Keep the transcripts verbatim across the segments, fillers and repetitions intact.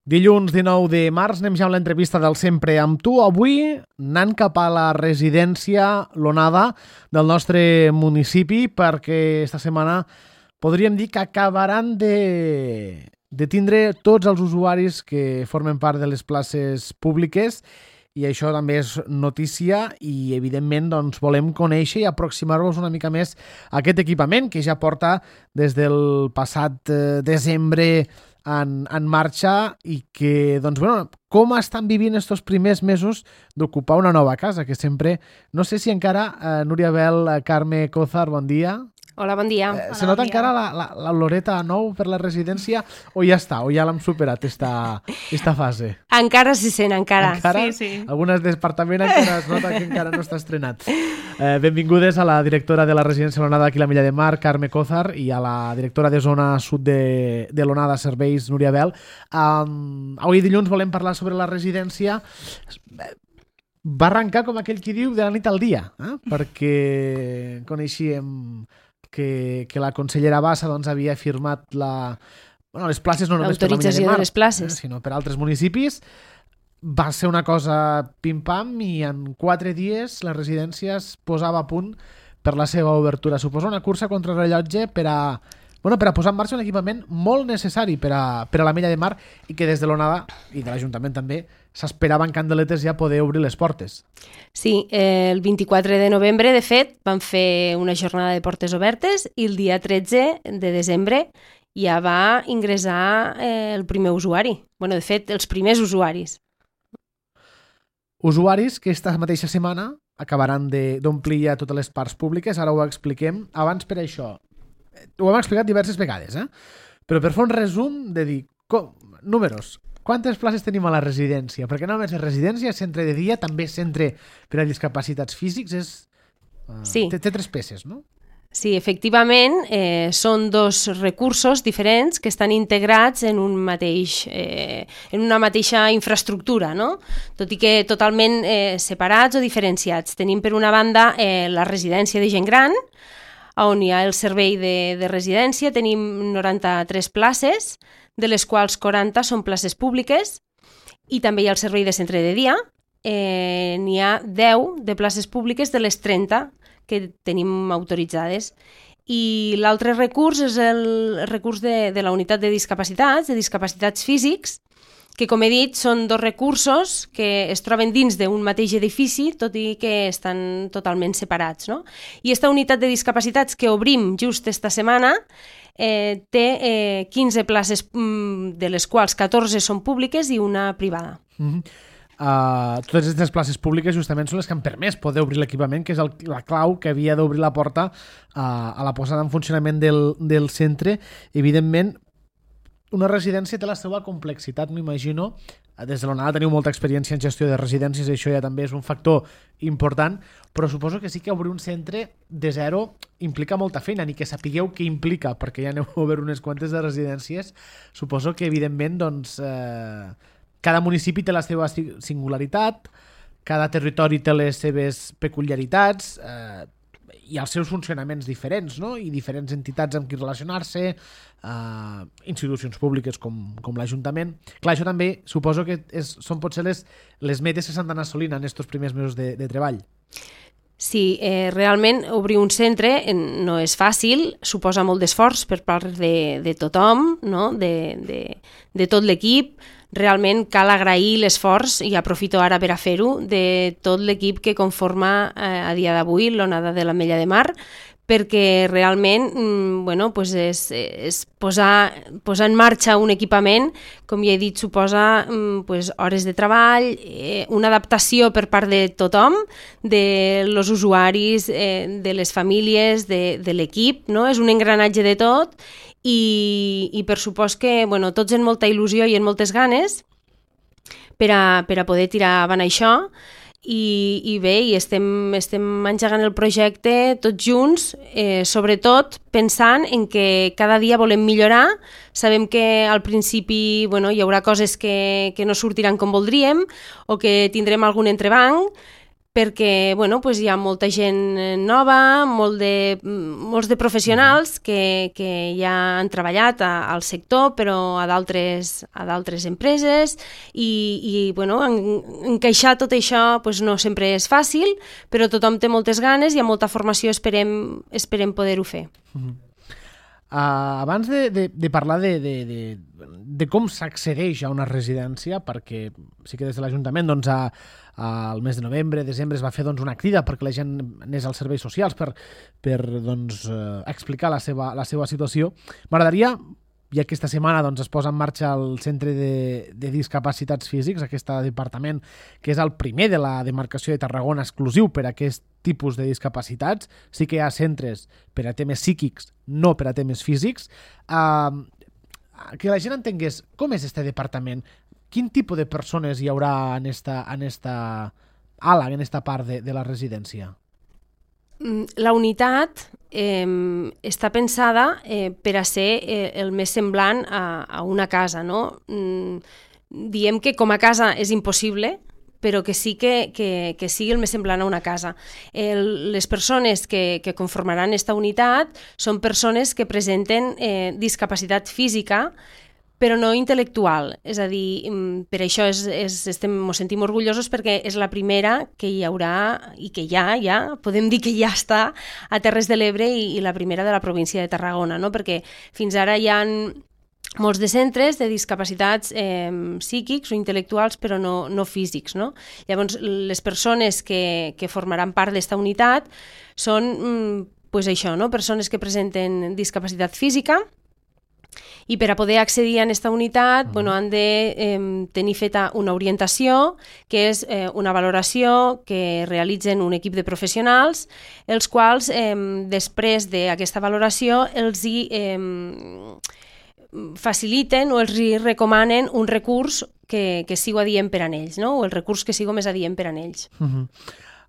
Dilluns dinou de març anem ja amb l'entrevista del Sempre amb tu. Avui anant cap a la residència L'Onada del nostre municipi perquè esta setmana podríem dir que acabaran de, de tindre tots els usuaris que formen part de les places públiques i això també és notícia i evidentment doncs, volem conèixer i aproximar-vos una mica més a aquest equipament que ja porta des del passat eh, desembre En, en marxa i que, doncs, bueno, com estan vivint estos primers mesos d'ocupar una nova casa, que sempre, no sé si encara, eh, Núria Bel, Carme Cózar, bon dia. Hola, bon dia. Eh, Hola, se nota bon encara la, la, la Loreta nou per la residència o ja està, o ja l'hem superat esta, esta fase? Encara s'hi sent, encara. Encara? Sí, sí. Algunes departament encara es nota que encara no està estrenat. Eh, benvingudes a la directora de la residència L'Onada d'aquí la Mella de Mar, Carme Cózar, i a la directora de zona sud de, de l'Onada Serveis, Núria Bel. Um, avui dilluns volem parlar sobre la residència. Va arrencar, com aquell qui diu, de la nit al dia, eh? Perquè coneixíem que, que la consellera Bassa doncs, havia firmat la, bueno, les places no només per la Mella de Mar, de les places. eh, sinó per altres municipis. Va ser una cosa pim-pam i en quatre dies la residència es posava a punt per la seva obertura. Suposa una cursa contra rellotge per a, bueno, per a posar en marxa un equipament molt necessari per a, per a la Mella de Mar i que des de l'Onada i de l'Ajuntament també s'esperaven candeletes ja poder obrir les portes. Sí, eh, el vint-i-quatre de novembre, de fet, van fer una jornada de portes obertes i el dia tretze de desembre ja va ingressar eh, el primer usuari. Bueno, de fet, els primers usuaris. Usuaris que esta mateixa setmana acabaran d'omplir ja totes les parts públiques, ara ho expliquem. Abans per això, ho hem explicat diverses vegades, eh? Però per fer un resum de dir, com, números, quantes places tenim a la residència? Perquè no només és residència, és centre de dia, també és centre per a discapacitats físics, és, uh, sí. té, té tres peces, no? Sí, efectivament, eh, són dos recursos diferents que estan integrats en, un mateix, eh, en una mateixa infraestructura, no? Tot i que totalment eh, separats o diferenciats. Tenim per una banda eh, la residència de gent gran, on hi ha el servei de, de residència, tenim noranta-tres places, de les quals quaranta són places públiques, i també hi ha el servei de centre de dia, eh, n'hi ha deu de places públiques de les trenta que tenim autoritzades. I l'altre recurs és el recurs de, de la unitat de discapacitats, de discapacitats físics, que, com he dit, són dos recursos que es troben dins d'un mateix edifici, tot i que estan totalment separats, no? I aquesta unitat de discapacitats que obrim just esta setmana eh, té eh, quinze places, de les quals catorze són públiques i una privada. Mm-hmm. Uh, totes aquestes places públiques justament són les que han permès poder obrir l'equipament, que és el, la clau que havia d'obrir la porta uh, a la posada en funcionament del, del centre. Evidentment, una residència té la seva complexitat, m'imagino. Des de l'Onada teniu molta experiència en gestió de residències, això ja també és un factor important, però suposo que sí que obrir un centre de zero implica molta feina, ni que sapigueu què implica, perquè ja aneu a obrir unes quantes de residències. Suposo que, evidentment, doncs, eh, cada municipi té la seva singularitat, cada territori té les seves peculiaritats eh, i els seus funcionaments diferents, no? I diferents entitats amb qui relacionar-se, eh, institucions públiques com, com l'Ajuntament. Clar, això també suposo que és, són potser les, les metes que s'han d'anar assolint en aquests primers mesos de, de treball. Sí, eh, realment obrir un centre no és fàcil, suposa molt d'esforç per part de, de tothom, no? de, de, de tot l'equip. Realment cal agrair l'esforç, i aprofito ara per a fer-ho, de tot l'equip que conforma eh, a dia d'avui l'Onada de la Mella de Mar, perquè realment mm, bueno, pues és, és posar, posar en marxa un equipament, com ja he dit, suposa mm, pues hores de treball, eh, una adaptació per part de tothom, de los usuaris, eh, de les famílies, de, de l'equip, no? És un engranatge de tot, i, i per supost que bueno, tots en molta il·lusió i en moltes ganes per a, per a poder tirar avant això. I, i bé, i estem, estem engegant el projecte tots junts, eh, sobretot pensant en que cada dia volem millorar. Sabem que al principi bueno, hi haurà coses que, que no sortiran com voldríem o que tindrem algun entrebanc, perquè bueno, pues hi ha molta gent nova, molt de, molts de professionals que, que ja han treballat a, al sector, però a d'altres a d'altres empreses, i, i bueno, en, encaixar tot això pues, no sempre és fàcil, però tothom té moltes ganes i amb molta formació esperem, esperem poder-ho fer. Mm-hmm. Uh, abans de, de, de parlar de, de, de, de com s'accedeix a una residència, perquè sí que des de l'Ajuntament doncs, a, a, al mes de novembre, desembre es va fer doncs, una crida perquè la gent anés als serveis socials per, per doncs, uh, explicar la seva, la seva situació. M'agradaria, ja que aquesta setmana doncs, es posa en marxa el Centre de, de Discapacitats Físics, aquest departament que és el primer de la demarcació de Tarragona exclusiu per a aquest tipus de discapacitats. Sí que hi ha centres per a temes psíquics, no per a temes físics. Uh, que la gent entengués com és este departament, quin tipus de persones hi haurà en esta, en esta ala, en esta part de, de la residència. La unitat eh, està pensada eh, per a ser eh, el més semblant a, a una casa, no? Mm, diem que com a casa és impossible, però que sí que, que, que sigui el més semblant a una casa. El, les persones que, que conformaran aquesta unitat són persones que presenten eh, discapacitat física, però no intel·lectual. És a dir, per això és, és, estem, ens sentim orgullosos perquè és la primera que hi haurà, i que ja, ja, podem dir que ja està a Terres de l'Ebre i, i la primera de la província de Tarragona, no? Perquè fins ara hi ha molts de centres de discapacitats eh, psíquics o intel·lectuals, però no, no físics, no? Llavors, les persones que, que formaran part d'esta unitat són, pues això, no? Persones que presenten discapacitat física, i per a poder accedir a aquesta unitat bueno, han de eh, tenir feta una orientació, que és eh, una valoració que realitzen un equip de professionals, els quals, eh, després d'aquesta valoració, els hi eh, faciliten o els hi recomanen un recurs que, que sigui adient per a ells, no? O el recurs que sigui més adient per a ells. Uh-huh.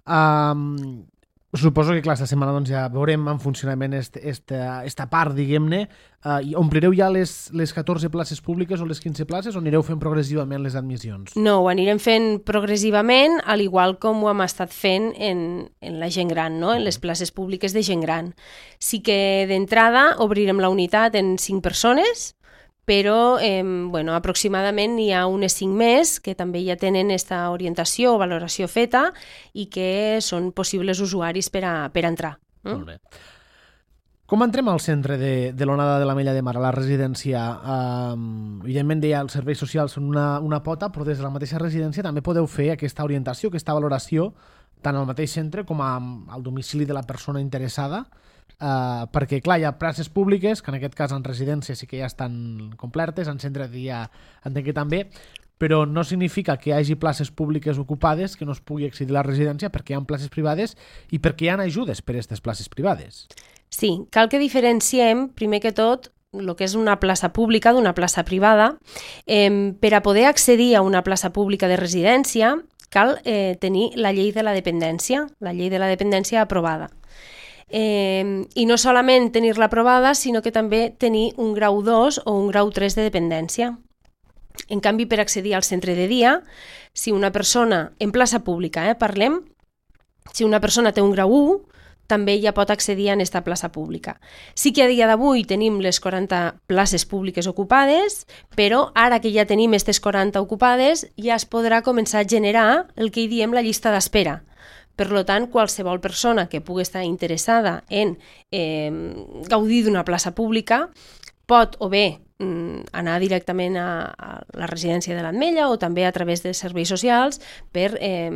Um... Suposo que, clar, esta setmana doncs, ja veurem en funcionament esta, esta, esta part, diguem-ne. Uh, omplireu ja les, les catorze places públiques o les quinze places o anireu fent progressivament les admissions? No, ho anirem fent progressivament, al igual com ho hem estat fent en, en la gent gran, no? En les places públiques de gent gran. Sí que d'entrada obrirem la unitat en cinc persones, però eh, bueno, aproximadament hi ha unes cinc més que també ja tenen aquesta orientació o valoració feta i que són possibles usuaris per a, per a entrar. Mm? Molt bé. Com entrem al centre de, de l'Onada de l'Ametlla de Mar, a la residència? Um, evidentment, deia, els serveis socials són una, una pota, però des de la mateixa residència també podeu fer aquesta orientació, aquesta valoració, tant al mateix centre com a, al domicili de la persona interessada, Uh, perquè, clar, hi ha places públiques, que en aquest cas en residència sí que ja estan complertes, en centre de dia entenc que també, però no significa que hi hagi places públiques ocupades que no es pugui accedir a la residència perquè hi ha places privades i perquè hi ha ajudes per a aquestes places privades. Sí, cal que diferenciem, primer que tot, el que és una plaça pública d'una plaça privada. Eh, per a poder accedir a una plaça pública de residència cal eh, tenir la llei de la dependència, la llei de la dependència aprovada. Eh, i no solament tenir-la aprovada, sinó que també tenir un grau dos o un grau tres de dependència. En canvi, per accedir al centre de dia, si una persona, en plaça pública, eh, parlem, si una persona té un grau u, també ja pot accedir a aquesta plaça pública. Sí que a dia d'avui tenim les quaranta places públiques ocupades, però ara que ja tenim aquestes quaranta ocupades, ja es podrà començar a generar el que hi diem la llista d'espera. Per tant, qualsevol persona que pugui estar interessada en eh, gaudir d'una plaça pública pot o bé mm, anar directament a, a la residència de l'Ametlla o també a través de serveis socials per eh,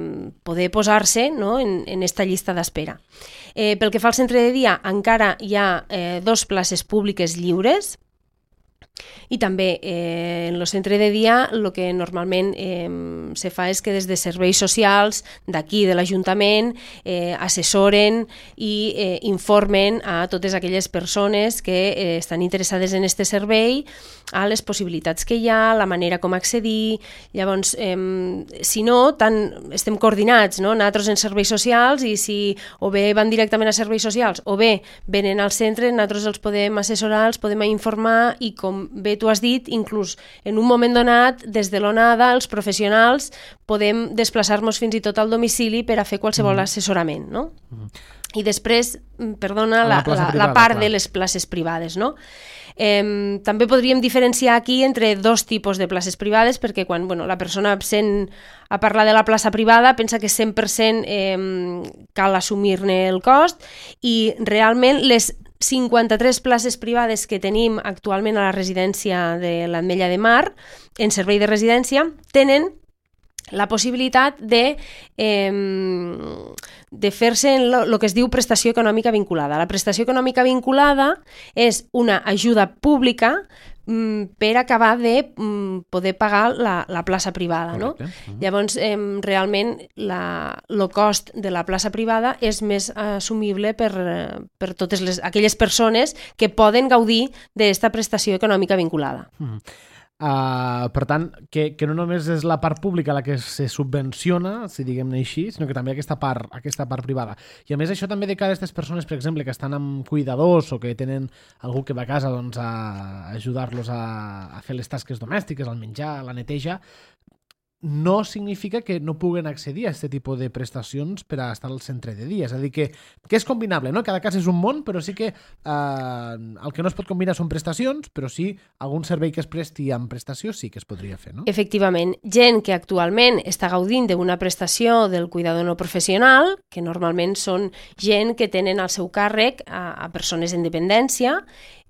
poder posar-se, no, en, en esta llista d'espera. Eh, pel que fa al centre de dia, encara hi ha eh, dos places públiques lliures. I també eh, en el centre de dia el que normalment eh, se fa és que des de serveis socials d'aquí de l'Ajuntament eh, assessoren i eh, informen a totes aquelles persones que eh, estan interessades en aquest servei a les possibilitats que hi ha, la manera com accedir. Llavors, eh, si no, tant estem coordinats, no? Nosaltres en serveis socials, i si o bé van directament a serveis socials o bé venen al centre, nosaltres els podem assessorar, els podem informar i com com bé tu has dit, inclús en un moment donat, des de l'ONADA, els professionals podem desplaçar-nos fins i tot al domicili per a fer qualsevol mm. assessorament, no? Mm. I després, perdona, la, la, la, la part clar. de les places privades, no? Eh, també podríem diferenciar aquí entre dos tipus de places privades, perquè quan bueno, la persona absent a parlar de la plaça privada pensa que cent per cent eh, cal assumir-ne el cost, i realment les cinquanta-tres places privades que tenim actualment a la residència de l'Ametlla de Mar, en servei de residència, tenen la possibilitat de, eh, de fer-se en el que es diu prestació econòmica vinculada. La prestació econòmica vinculada és una ajuda pública mm, per acabar de mm, poder pagar la, la plaça privada. No? Uh-huh. Llavors, eh, realment, el cost de la plaça privada és més assumible per, per totes les, aquelles persones que poden gaudir d'aquesta prestació econòmica vinculada. Uh-huh. Uh, per tant, que, que no només és la part pública la que se subvenciona, si diguem-ne així, sinó que també aquesta part, aquesta part privada. I a més això també de cara a aquestes persones, per exemple, que estan amb cuidadors o que tenen algú que va a casa doncs, a ajudar-los a, a fer les tasques domèstiques, al menjar, a la neteja, no significa que no puguen accedir a aquest tipus de prestacions per a estar al centre de dia. És a dir, que, que és combinable, no? Cada cas és un món, però sí que eh, el que no es pot combinar són prestacions, però sí algun servei que es presti amb prestació sí que es podria fer, no? Efectivament, gent que actualment està gaudint d'una prestació del cuidador no professional, que normalment són gent que tenen al seu càrrec a, a persones en dependència.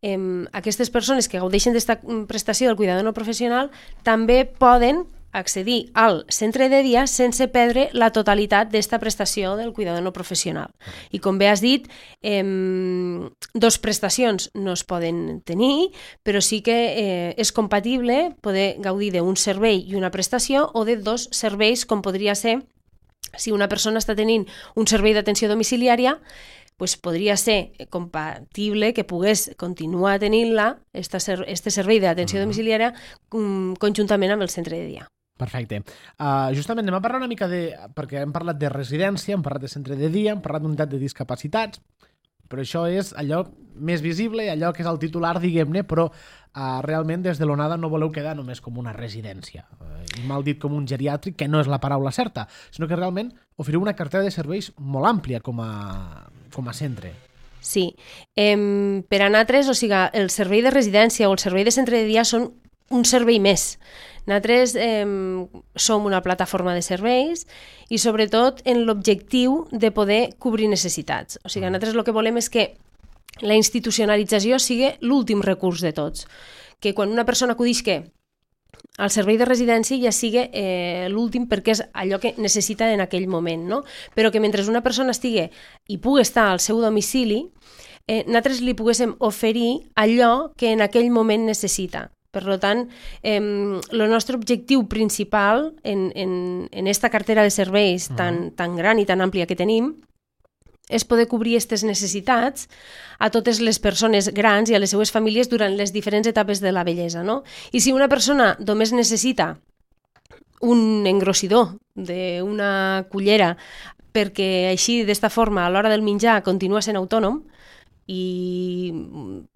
Eh, aquestes persones que gaudeixen d'esta prestació del cuidador no professional també poden accedir al centre de dia sense perdre la totalitat d'esta prestació del cuidador no professional. I com bé has dit, eh, dos prestacions no es poden tenir, però sí que eh, és compatible poder gaudir d'un servei i una prestació o de dos serveis, com podria ser si una persona està tenint un servei d'atenció domiciliària, pues podria ser compatible que pogués continuar tenint-la, este servei d'atenció domiciliària, conjuntament amb el centre de dia. Perfecte. Uh, justament anem a parlar una mica de... perquè hem parlat de residència, hem parlat de centre de dia, hem parlat d'unitat de discapacitats, però això és allò més visible, allò que és el titular, diguem-ne, però uh, realment des de l'ONADA no voleu quedar només com una residència, uh, i mal dit com un geriàtric, que no és la paraula certa, sinó que realment oferiu una cartera de serveis molt àmplia com a, com a centre. Sí. Eh, per a nosaltres, o sigui, el servei de residència o el servei de centre de dia són un servei més. Nosaltres eh, som una plataforma de serveis i sobretot en l'objectiu de poder cobrir necessitats. O sigui, nosaltres el que volem és que la institucionalització sigui l'últim recurs de tots. Que quan una persona acudisca al servei de residència ja sigui eh, l'últim perquè és allò que necessita en aquell moment, no? Però que mentre una persona estigui i pugui estar al seu domicili, eh, nosaltres li poguéssim oferir allò que en aquell moment necessita. Per tant, eh, el nostre objectiu principal en, en, en esta cartera de serveis tan, tan gran i tan àmplia que tenim és poder cobrir aquestes necessitats a totes les persones grans i a les seues famílies durant les diferents etapes de la vellesa, no? I si una persona només necessita un engrossidor d'una cullera perquè així, d'esta forma, a l'hora del menjar continua sent autònom, i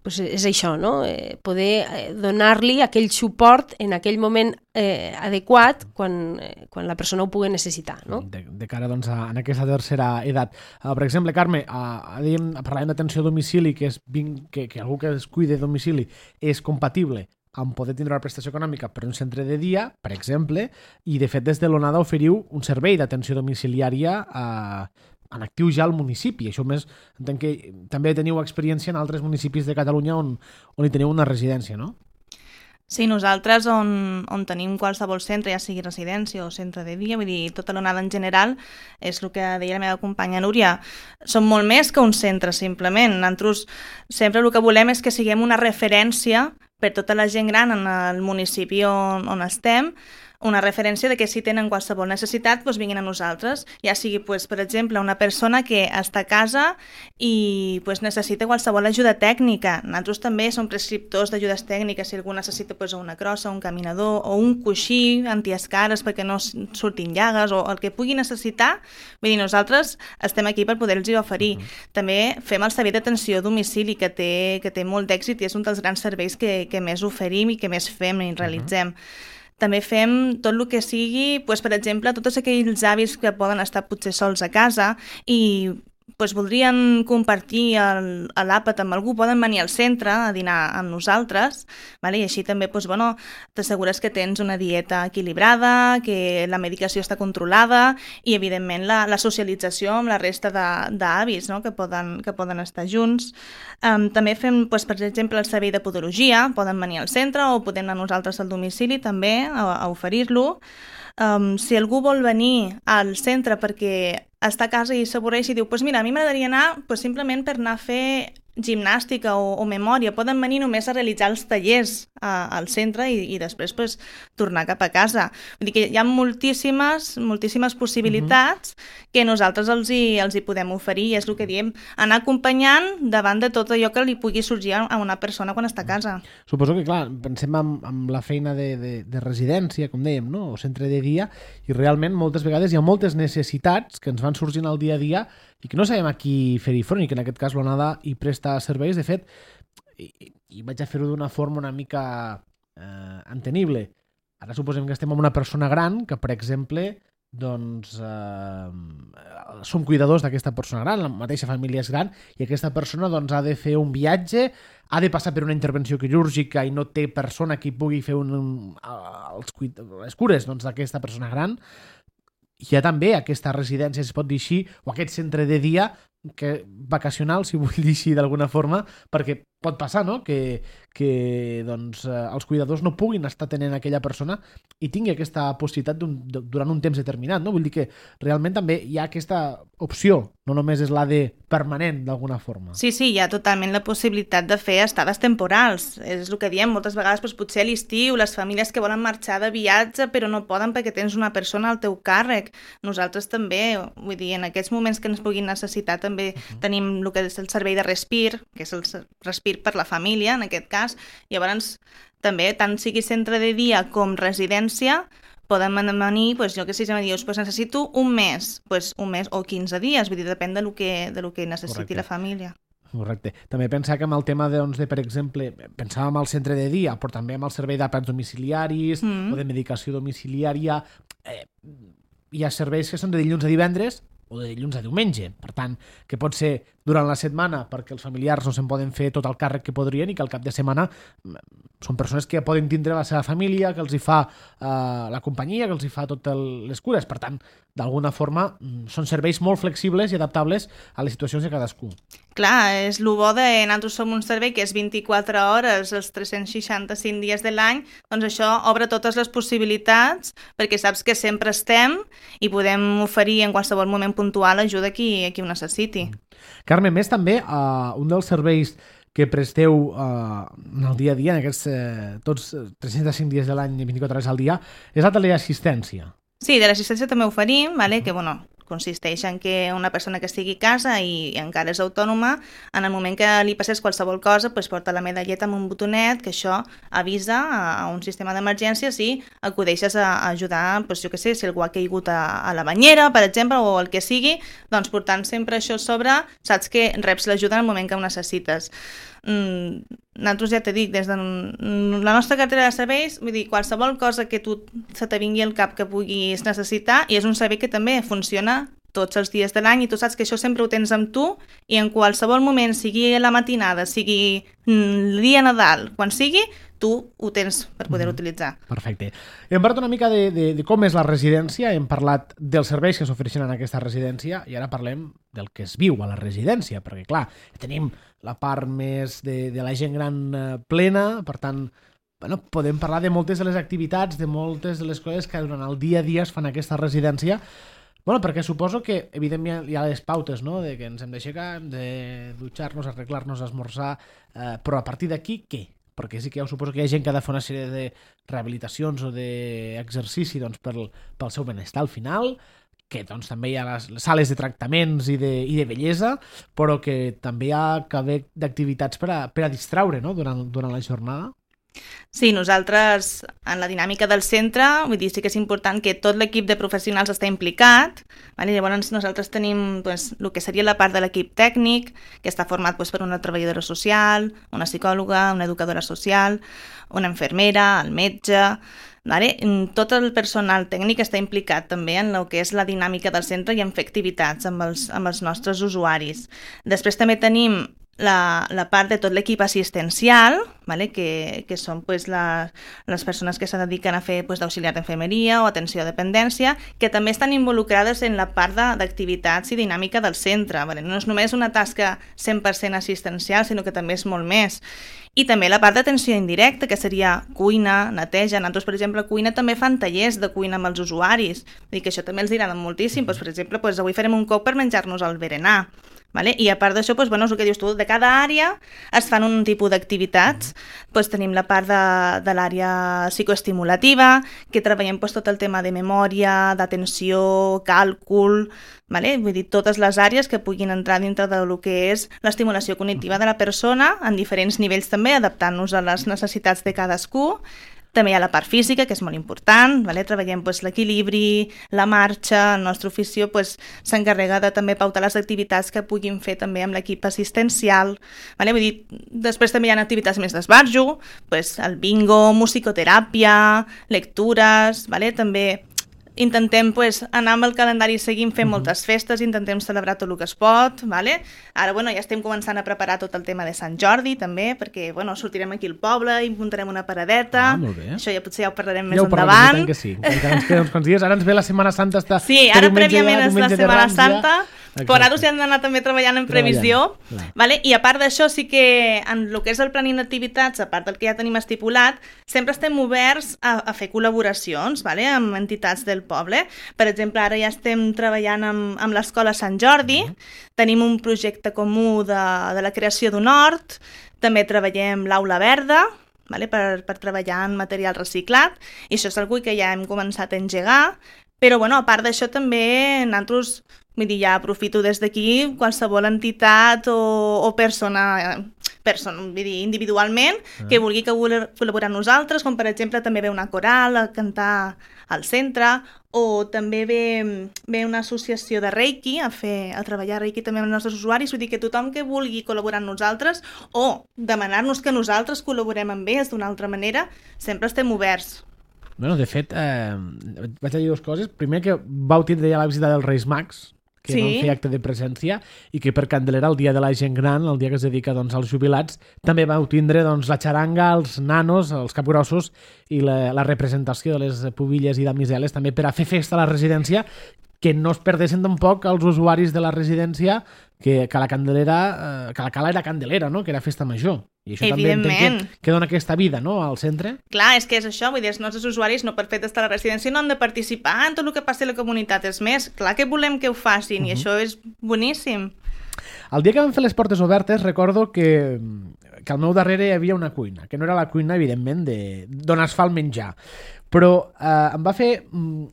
pues, és això, no? Eh, poder donar-li aquell suport en aquell moment eh, adequat quan, eh, quan la persona ho pugui necessitar, no? De, de cara doncs, a, en aquesta tercera edat. Uh, per exemple, Carme, uh, dèiem, parlàvem d'atenció a domicili, que, és, que, que algú que es cuide de domicili és compatible amb poder tindre una prestació econòmica per un centre de dia, per exemple, i de fet des de l'ONADA oferiu un servei d'atenció domiciliària a uh, en actiu ja al municipi. Això més, entenc que també teniu experiència en altres municipis de Catalunya on, on hi teniu una residència, no? Sí, nosaltres on, on tenim qualsevol centre, ja sigui residència o centre de dia, vull dir, tota l'onada en general, és el que deia la meva companya Núria, són molt més que un centre, simplement. Nosaltres sempre el que volem és que siguem una referència per tota la gent gran en el municipi on, on estem, una referència de que si tenen qualsevol necessitat doncs vinguin a nosaltres, ja sigui doncs, per exemple una persona que està a casa i doncs, necessita qualsevol ajuda tècnica. Nosaltres també som prescriptors d'ajudes tècniques, si algú necessita doncs, una crossa, un caminador o un coixí antiescares perquè no surtin llagues o el que pugui necessitar, vull dir, nosaltres estem aquí per poder-los oferir. Uh -huh. També fem el servei d'atenció a domicili que té, que té molt d'èxit i és un dels grans serveis que, que més oferim i que més fem i realitzem. Uh -huh. També fem tot el que sigui, doncs, per exemple, tots aquells avis que poden estar potser sols a casa i doncs, voldrien compartir l'àpat amb algú, poden venir al centre a dinar amb nosaltres, vale? I així també doncs, bueno, t'assegures que tens una dieta equilibrada, que la medicació està controlada i, evidentment, la, la socialització amb la resta d'avis, no? que, poden, que poden estar junts. Um, també fem, doncs, per exemple, el servei de podologia, poden venir al centre o podem anar nosaltres al domicili també a, a oferir-lo. Um, si algú vol venir al centre perquè està a casa i s'avorreix i diu pues mira, a mi m'agradaria anar pues, simplement per anar a fer gimnàstica o, o memòria, poden venir només a realitzar els tallers a, al centre i, i després pues, tornar cap a casa. Vull dir que hi ha moltíssimes, moltíssimes possibilitats uh-huh. que nosaltres els hi, els hi podem oferir i és el que diem, anar acompanyant davant de tot allò que li pugui sorgir a una persona quan està a casa. Suposo que, clar, pensem en, en la feina de, de, de residència, com dèiem, no? O centre de dia, i realment moltes vegades hi ha moltes necessitats que ens van sorgint al dia a dia i que no sabem a qui fer-hi front, i que en aquest cas l'Onada hi presta serveis. De fet, i, i vaig a fer-ho d'una forma una mica eh, entenible. Ara suposem que estem amb una persona gran que, per exemple, doncs eh, som cuidadors d'aquesta persona gran, la mateixa família és gran, i aquesta persona doncs, ha de fer un viatge, ha de passar per una intervenció quirúrgica i no té persona que pugui fer un, un, els, les cures doncs, d'aquesta persona gran. Hi ha també aquesta residència, si es pot dir així, o aquest centre de dia que vacacional, si vull dir així d'alguna forma, perquè pot passar, no?, que, que doncs, eh, els cuidadors no puguin estar tenint aquella persona i tingui aquesta possibilitat un, durant un temps determinat, no? Vull dir que realment també hi ha aquesta opció, no només és la de permanent d'alguna forma. Sí, sí, hi ha totalment la possibilitat de fer estades temporals. És el que diem, moltes vegades doncs, potser a l'estiu, les famílies que volen marxar de viatge però no poden perquè tens una persona al teu càrrec. Nosaltres també, vull dir, en aquests moments que ens puguin necessitar també uh-huh. tenim el que és el servei de respir, que és el respir per la família, en aquest cas. Llavors, també, tant sigui centre de dia com residència, poden venir, doncs, jo que sé, si em dius, doncs necessito un mes, doncs un mes o quinze dies, vull dir, depèn de lo que, de lo que necessiti Correcte. La família. Correcte. També pensar que amb el tema de, doncs, de per exemple, pensàvem al centre de dia, però també amb el servei d'àpats domiciliaris mm. o de medicació domiciliària, eh, hi ha serveis que són de dilluns a divendres o de dilluns a diumenge. Per tant, que pot ser durant la setmana perquè els familiars no se'n poden fer tot el càrrec que podrien i que al cap de setmana són persones que poden tindre la seva família, que els hi fa eh, la companyia, que els hi fa totes les cures. Per tant, d'alguna forma, són serveis molt flexibles i adaptables a les situacions de cadascú. Clar, és el bo de nosaltres som un servei que és vint-i-quatre hores els tres-cents seixanta-cinc dies de l'any, doncs això obre totes les possibilitats perquè saps que sempre estem i podem oferir en qualsevol moment puntual ajuda a qui, a qui ho necessiti. Carme, més també, uh, un dels serveis que presteu uh, en el dia a dia, en aquests eh, tots tres-cents cinc dies de l'any i vint-i-quatre hores al dia, és la teleassistència. Sí, de l'assistència també oferim, vale? Que bueno, consisteix en que una persona que estigui a casa i encara és autònoma, en el moment que li passés qualsevol cosa, pues porta la medalleta amb un botonet, que això avisa a un sistema d'emergència si acudeixes a ajudar, pues, jo què sé, si algú ha caigut a, a la banyera, per exemple, o el que sigui, doncs portant sempre això a sobre, saps que reps l'ajuda en el moment que ho necessites. Mm, nosaltres ja t'he dit, des de la nostra cartera de serveis, vull dir, qualsevol cosa que tu se te vingui al cap que puguis necessitar, i és un servei que també funciona tots els dies de l'any i tu saps que això sempre ho tens amb tu i en qualsevol moment, sigui a la matinada, sigui el dia Nadal, quan sigui, tu ho tens per poder mm, utilitzar. Perfecte. Hem parlat una mica de, de, de com és la residència, hem parlat dels serveis que s'ofereixen en aquesta residència i ara parlem del que es viu a la residència, perquè clar, tenim la part més de, de la gent gran eh, plena, per tant, bueno, podem parlar de moltes de les activitats, de moltes de les coses que durant el dia a dia es fan a aquesta residència. Bueno, perquè suposo que, evidentment, hi ha les pautes, no?, de que ens hem d'aixecar, hem de dutxar-nos, arreglar-nos, esmorzar, eh, però a partir d'aquí, què? perquè sí que ja ho suposo que hi ha gent que ha de fer una sèrie de rehabilitacions o d'exercici doncs, pel, pel seu benestar al final, que doncs, també hi ha les sales de tractaments i de, i de bellesa, però que també hi ha que haver d'activitats per a, per a distraure, no?, durant, durant la jornada. Sí, nosaltres, en la dinàmica del centre, vull dir, sí que és important que tot l'equip de professionals està implicat, vale? Llavors nosaltres tenim pues, el que seria la part de l'equip tècnic, que està format pues, per una treballadora social, una psicòloga, una educadora social, una infermera, el metge... Vale? Tot el personal tècnic està implicat també en el que és la dinàmica del centre i en fer activitats amb els, amb els nostres usuaris. Després també tenim la, la part de tot l'equip assistencial, vale? que, que són pues, la, les persones que se dediquen a fer pues, d'auxiliar d'infermeria o atenció a dependència, que també estan involucrades en la part d'activitats i dinàmica del centre. Vale? No és només una tasca cent per cent assistencial, sinó que també és molt més. I també la part d'atenció indirecta, que seria cuina, neteja. Nosaltres, per exemple, a cuina també fan tallers de cuina amb els usuaris. Vull dir que això també els agrada moltíssim. Pues, per exemple, pues, avui farem un coc per menjar-nos el berenar. Vale? I a part d'això, pues, bueno, és el que dius tu, de cada àrea es fan un tipus d'activitats. Pues, tenim la part de, de l'àrea psicoestimulativa, que treballem pues, tot el tema de memòria, d'atenció, càlcul, vale? Vull dir, totes les àrees que puguin entrar dintre del que és l'estimulació cognitiva de la persona, en diferents nivells també, adaptant-nos a les necessitats de cadascú. També hi ha la part física, que és molt important, vale? Treballem pues, l'equilibri, la marxa, el nostre ofició pues, s'encarrega de també pautar les activitats que puguin fer també amb l'equip assistencial. Vale? Vull dir, després també hi ha activitats més d'esbarjo, pues, el bingo, musicoteràpia, lectures, vale? També intentem pues, anar amb el calendari seguint fent moltes festes, intentem celebrar tot el que es pot, vale? Ara bueno, ja estem començant a preparar tot el tema de Sant Jordi també, perquè bueno, sortirem aquí al poble i muntarem una paradeta. Ah, molt bé. Això ja potser ja ho parlarem ja més ho endavant. Que sí, encara ens queden uns quants dies. Ara ens ve la Setmana Santa. Està sí, ara prèviament és la Setmana Rams, Santa, ja. però nosaltres ja hem d'anar també treballant en previsió. Vale? I a part d'això sí que en el que és el planning d'activitats, a part del que ja tenim estipulat, sempre estem oberts a, a fer col·laboracions, vale? Amb entitats del poble. Per exemple, ara ja estem treballant amb, amb l'Escola Sant Jordi, uh-huh. Tenim un projecte comú de, de la creació d'un hort, també treballem l'Aula Verda, vale? per, per treballar en material reciclat, i això és una que ja hem començat a engegar, però bueno, a part d'això també nosaltres, vull dir, ja aprofito des d'aquí qualsevol entitat o, o persona... persona, vull dir, individualment, ah. que vulgui que col·laborar amb nosaltres, com per exemple també ve una coral a cantar al centre, o també ve, ve una associació de Reiki a, fer, a treballar Reiki també amb els nostres usuaris, vull dir que tothom que vulgui col·laborar amb nosaltres o demanar-nos que nosaltres col·laborem amb ells d'una altra manera, sempre estem oberts. Bueno, de fet, eh, vaig a dir dues coses. Primer, que vau tindre ja la visita dels Reis Mags, que sí. Van fer acte de presència, i que per Candelera, el dia de la gent gran, el dia que es dedica doncs, als jubilats, també vau tindre doncs, la xaranga, els nanos, els capgrossos i la, la representació de les pubilles i damiseles també per a fer festa a la residència, que no es perdessin tampoc els usuaris de la residència que, que la Candelera, eh, que la cala era Candelera, no? Que era festa major. I això també entenc que, que dona aquesta vida, no?, al centre. Clar, és que és això, vull dir, els nostres usuaris no per fet d'estar a la residència no han de participar en tot el que passi a la comunitat. És més, clar que volem que ho facin, uh-huh. I això és boníssim. El dia que vam fer les portes obertes recordo que, que al meu darrere hi havia una cuina, que no era la cuina, evidentment, d'on es fa el menjar. Però eh, em va fer mm,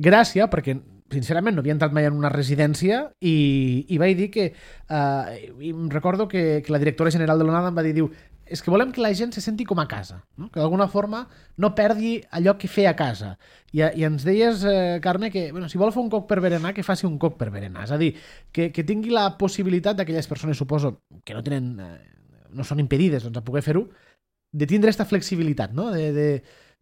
gràcia, perquè sincerament no havia entrat mai en una residència i, i vaig dir que eh, i em recordo que, que la directora general de l'Onada em va dir, diu, és que volem que la gent se senti com a casa, no? Que d'alguna forma no perdi allò que feia a casa. I, i ens deies, eh, Carme, que bueno, si vol fer un coc per berenar, que faci un coc per berenar. És a dir, que, que tingui la possibilitat d'aquelles persones, suposo, que no tenen, eh, no són impedides doncs, a poder fer-ho, de tindre aquesta flexibilitat, no? De, de,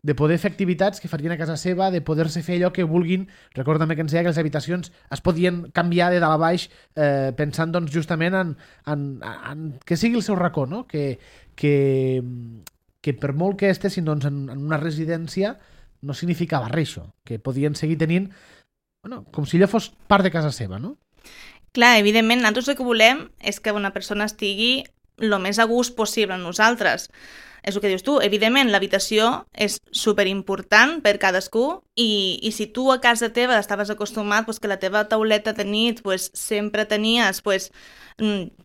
de poder fer activitats que farien a casa seva, de poder-se fer allò que vulguin. Recordo també que ens deia que les habitacions es podien canviar de dalt a baix eh, pensant doncs, justament en, en, en que sigui el seu racó, no? Que, que, que per molt que estessin doncs, en, en una residència no significava res això, que podien seguir tenint bueno, com si allò fos part de casa seva, no? Clar, evidentment, nosaltres el que volem és que una persona estigui el més a gust possible amb nosaltres. és el que dius tu, evidentment l'habitació és superimportant per cadascú i, i si tu a casa teva estaves acostumat pues, que la teva tauleta de nit pues, sempre tenies, pues,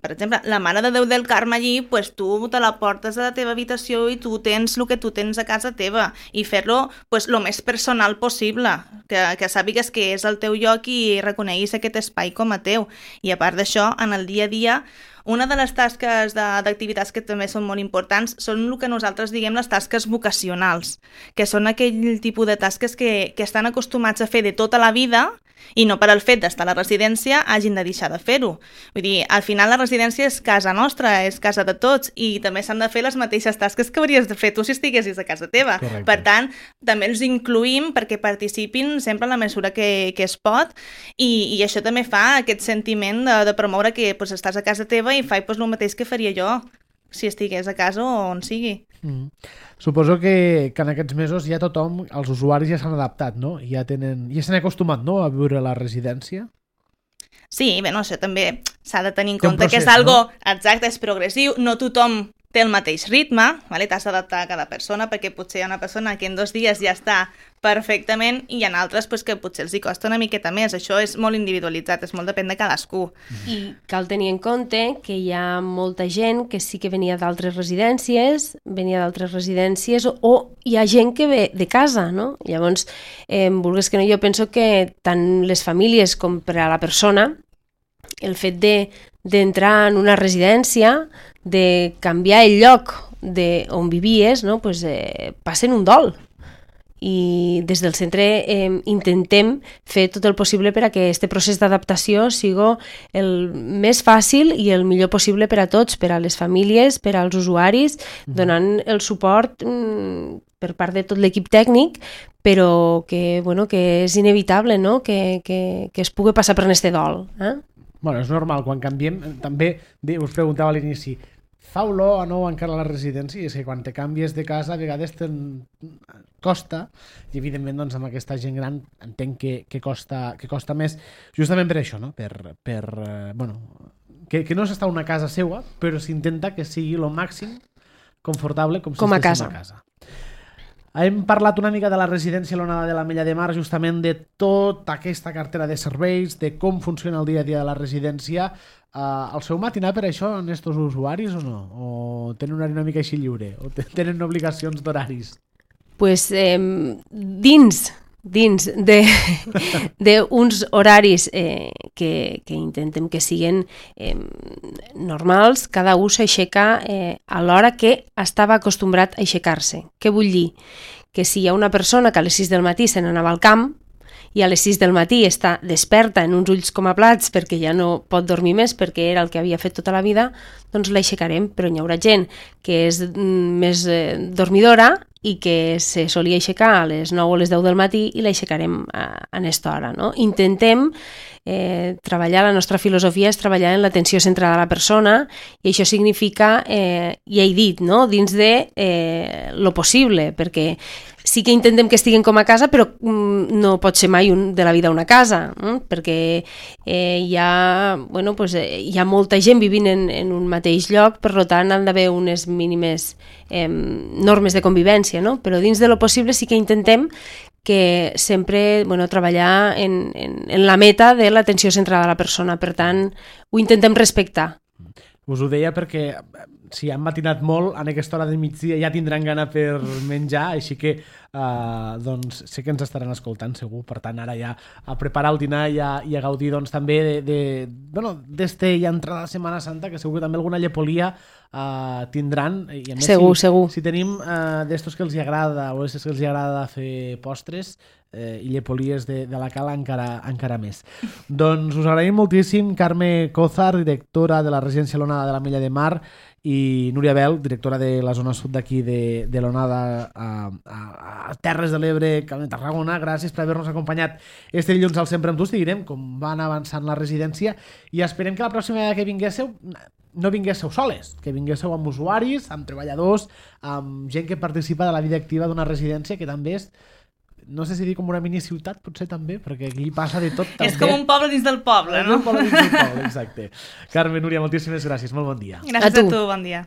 per exemple, la Mare de Déu del Carme allí, pues, tu te la portes a la teva habitació i tu tens el que tu tens a casa teva i fer-lo pues, lo més personal possible, que, que sàpigues que és el teu lloc i reconeguis aquest espai com a teu. I a part d'això, en el dia a dia, una de les tasques d'activitats que també són molt importants són el que nosaltres diguem les tasques vocacionals, que són aquell tipus de tasques que, que estan acostumats a fer de tota la vida i no per al fet d'estar a la residència hagin de deixar de fer-ho. Vull dir, al final la residència és casa nostra, és casa de tots i també s'han de fer les mateixes tasques que hauries de fer tu si estiguessis a casa teva. Correcte. Per tant, també els incluïm perquè participin sempre en la mesura que, que es pot i, i això també fa aquest sentiment de, de promoure que pues, estàs a casa teva i faig pues, el mateix que faria jo si estigués a casa o on sigui. Mm. Suposo que, que en aquests mesos ja tothom, els usuaris ja s'han adaptat, no? Ja tenen, ja s'han acostumat, no?, a viure a la residència. Sí, bé, no, això també s'ha de tenir en Té un compte procés, que és algo, no? exacte, és progressiu, no tothom té el mateix ritme, vale? T'has d'adaptar a cada persona perquè potser hi ha una persona que en dos dies ja està perfectament i hi ha altres pues, que potser els hi costa una miqueta més. Això és molt individualitzat, és molt depèn de cadascú. I cal tenir en compte que hi ha molta gent que sí que venia d'altres residències, venia d'altres residències o, o hi ha gent que ve de casa, no? Llavors, eh, vulguis que no, jo penso que tant les famílies com per a la persona, el fet de d'entrar en una residència, de canviar el lloc de on vivies, no? Pues, eh, passen un dol. I des del centre eh, intentem fer tot el possible per a que aquest procés d'adaptació sigui el més fàcil i el millor possible per a tots, per a les famílies, per als usuaris, donant el suport mm, per part de tot l'equip tècnic, però que, bueno, que és inevitable, no? que, que, que es pugui passar per este dol. Eh? Bueno, és normal, quan canviem, també us preguntava a l'inici, fa olor o no encara a la residència? I és que quan te canvies de casa a vegades te'n costa, i evidentment doncs, amb aquesta gent gran entenc que, que, costa, que costa més, justament per això, no? per, per eh, bueno, que, que no s'està una casa seua, però s'intenta que sigui el màxim confortable com si com a estiguéssim casa. a casa. Hem parlat una mica de la residència l'Onada de l'Ametlla de Mar, justament de tota aquesta cartera de serveis, de com funciona el dia a dia de la residència. Uh, el seu matinar per això en estos usuaris o no? O tenen un horari una mica així lliure? O tenen obligacions d'horaris? Pues eh, dins dins d'uns horaris eh, que, que intentem que siguin eh, normals, cada un s'aixeca eh, a l'hora que estava acostumbrat a aixecar-se. Què vull dir? Que si hi ha una persona que a les sis del matí se n'anava al camp i a les sis del matí està desperta en uns ulls com a plats perquè ja no pot dormir més perquè era el que havia fet tota la vida, doncs l'aixecarem, però hi haurà gent que és mm, més eh, dormidora i que se solia aixecar a les nou o les deu del matí i l'aixecarem a, a aquesta hora. No? Intentem eh, treballar, la nostra filosofia és treballar en l'atenció centrada a la persona i això significa, eh, ja he dit, no? dins de eh, lo possible, perquè sí que intentem que estiguin com a casa, però mm, no pot ser mai un, de la vida una casa, eh? perquè eh, hi, ha, bueno, pues, eh, hi ha molta gent vivint en, en un mateix lloc, per tant han d'haver unes mínimes eh, normes de convivència, no? Però dins de lo possible sí que intentem que sempre bueno, treballar en, en, en la meta de l'atenció centrada a la persona, per tant ho intentem respectar. Us ho deia perquè si han matinat molt, en aquesta hora de migdia ja tindran gana per menjar, així que uh, doncs, sé que ens estaran escoltant segur, per tant ara ja a preparar el dinar i a, i a gaudir doncs, també de, de, bueno, d'este ja entrada de Setmana Santa, que segur que també alguna llepolia uh, tindran. I a més, segur, si, segur. Si tenim uh, d'estos que els agrada o estos que els agrada fer postres, eh, i llepolies de, de la cala encara, encara més. Doncs us agraïm moltíssim Carme Cózar, directora de la residència l'Onada de l'Ametlla de Mar, i Núria Bel, directora de la zona sud d'aquí de, de l'Onada a, a, a Terres de l'Ebre, Camp de Tarragona. Gràcies per haver-nos acompanyat este dilluns al Sempre amb tu. Direm com van avançant la residència i esperem que la pròxima vegada que vinguéssiu no vinguéssiu soles, que vinguéssiu amb usuaris, amb treballadors, amb gent que participa de la vida activa d'una residència que també és, no sé si dir com una mini ciutat, potser també, perquè aquí passa de tot. També. És com un poble dins del poble, no? És un poble dins del poble, exacte. Carme, Núria, moltíssimes gràcies, molt bon dia. Gràcies a tu, a tu bon dia.